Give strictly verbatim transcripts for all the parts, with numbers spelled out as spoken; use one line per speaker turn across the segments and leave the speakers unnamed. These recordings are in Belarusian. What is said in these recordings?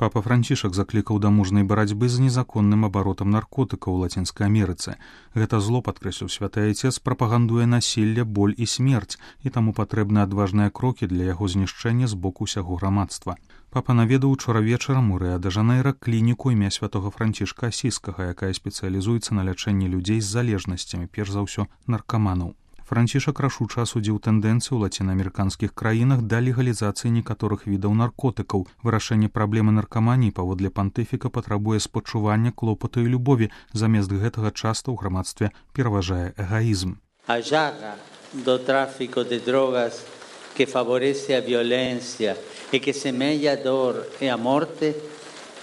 Папа Францішак заклікаў да мужнай барацьбы з незаконным абаротам наркотыкаў у Лацінскай Амерыцы. Гэта зло, падкрэсліў святы айцец, прапагандуе насілле, боль і смерць, і таму патрэбны адважныя крокі для яго знішчэння з боку ўсяго грамадства. Папа наведаў учора вечарам у Рыа-дэ-Жанэйра клініку імя святога Францішка Асіскага, якая спецыялізуецца на лячэнні людзей з залежнасцямі, перш за ўсё наркаманаў. Францішак рашуча асудзіў тэндэнцыю ў лацінаамерыканскіх краінах да легалізацыі некаторых відаў наркотыкаў. Вырашэнне праблемы наркаманіі паводле пантыфіка патрабуе спачування, клопату і любові. Замест гэтага часта ў грамадстве пераважае эгоізм.
A llaga do tráfico de drogas que favorece a violência e que semeia a dor e a morte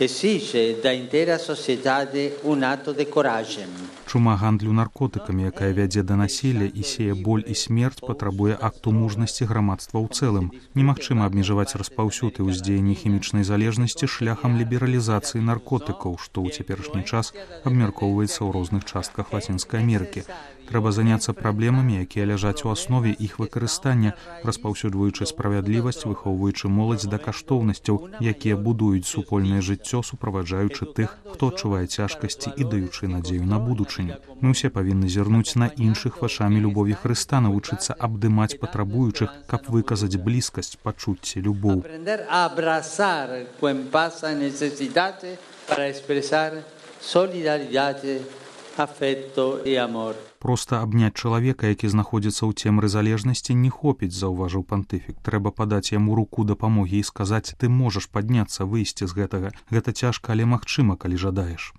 exige da inteira sociedade un atto de coragem.
Чума гандлю наркотыкамі, якая вядзе да насілля і сее боль і смерць, патрабуе акту мужнасці грамадства ў цэлым. Немагчыма абмежаваць распаўсюд і ўздзеянне хімічнай залежнасці шляхам лібералізацыі наркотыкаў, што ў цяперашні час абмяркоўваецца ў розных частках Лацінскай Амерыкі. Трэба заняцца праблемамі, якія ляжаць у аснове іх выкарыстання, распаўсюджваючы справядлівасць, выхоўваючы моладзь да каштоўнасцяў, якія будуюць супольнае жыццё, суправаджаючы тых, хто адчувае цяжкасці і даючы надзею на будучыню. Мы ўсе павінны зірнуць на іншых вачамі любові Хрыста, навучыцца абдымаць патрабуючых, каб выказаць блізкасць, пачуцці, любоў. Проста абняць чалавека, які знаходзіцца ў цемры залежнасці, не хопіць, заўважыў пантыфік. Трэба падаць яму руку дапамогі і сказаць: ты можаш падняцца, выйсці з гэтага. Гэта цяжка, але магчыма, калі жадаеш.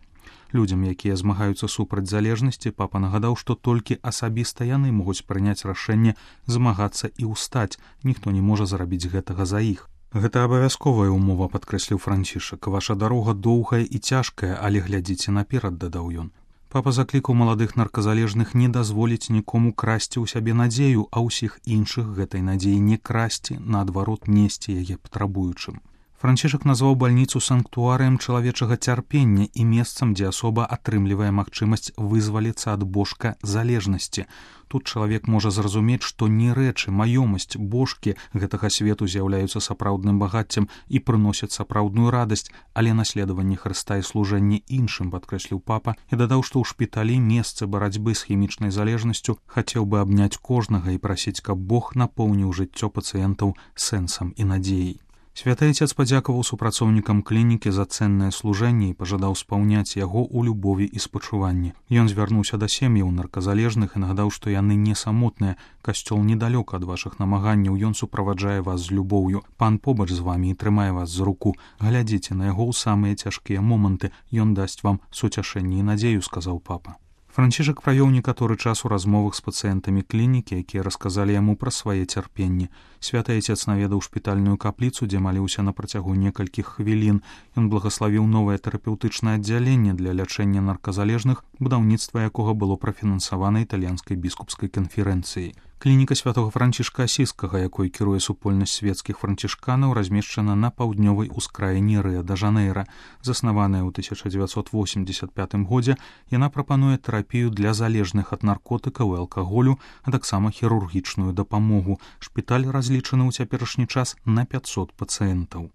Людзям, якія змагаюцца супраць залежнасці, папа нагадаў, што толькі асабіста яны могуць прыняць рашэнне змагацца і ўстаць. Ніхто не можа зрабіць гэтага за іх. Гэта абавязковая ўмова, падкрэсліў Францішак. Ваша дарога доўгая і цяжкая, але глядзіце наперад, дадаў ён. Папа заклікаў маладых нарказалежных не дазволіць нікому красці ў сябе надзею, а ўсіх іншых гэтай надзеі не красці, наадварот, несці яе патрабуючым. Францішак назваў бальніцу санктуарыем чалавечага цярпення і месцам, дзе асоба атрымлівае магчымасць вызваліцца ад божка залежнасці. Тут чалавек можа зразумець, што не рэчы, маёмасць, божкі гэтага свету з'яўляюцца сапраўдным багаццем і прыносяць сапраўдную радасць, але наследаванне Хрыста і служэнне іншым, падкрэсліў папа, і дадаў, што ў шпіталі месцы барацьбы з хімічнай залежнасцю хацеў бы абняць кожнага і прасіць, каб Бог напоўніў жыццё пацыентаў сэнсам і надзеяй. Святы айцец падзякаваў супрацоўнікам клінікі за цэннае служэнне і пажадаў спаўняць яго ў любові і спачуванні. Ён звярнуўся да сем'яў нарказалежных і нагадаў, што яны не самотныя. Касцёл недалёка ад вашых намаганняў, ён суправаджае вас з любоўю. Пан побач з вамі і трымае вас за руку. Глядзіце на яго ў самыя цяжкія моманты. Ён дасць вам суцяшэнне і надзею, сказаў папа. Францішак правёў некаторы час у размовах з пацыентамі клінікі, якія расказалі яму пра свае цярпенні. Святы айцец наведаў шпітальную капліцу, дзе маліўся на працягу некалькіх хвілін. Ён благаславіў новае тэрапеўтычнае аддзяленне для лячэння нарказалежных, будаўніцтва якога было прафінансавана італьянскай біскупскай канферэнцыяй. Клініка святога Францішка Асіскага, якой кіруе супольнасць свецкіх францішканаў, размешчана на паўднёвай ускраіне Рыа-дэ-Жанэйра. Заснаваная ў тысяча дзевяцьсот восемьдесят пятым годзе, яна прапануе тэрапію для залежных ад наркотыкаў і алкаголю, а таксама хірургічную дапамогу. Шпіталь разлічаны ў цяперашні час на пятьсот пацыентаў.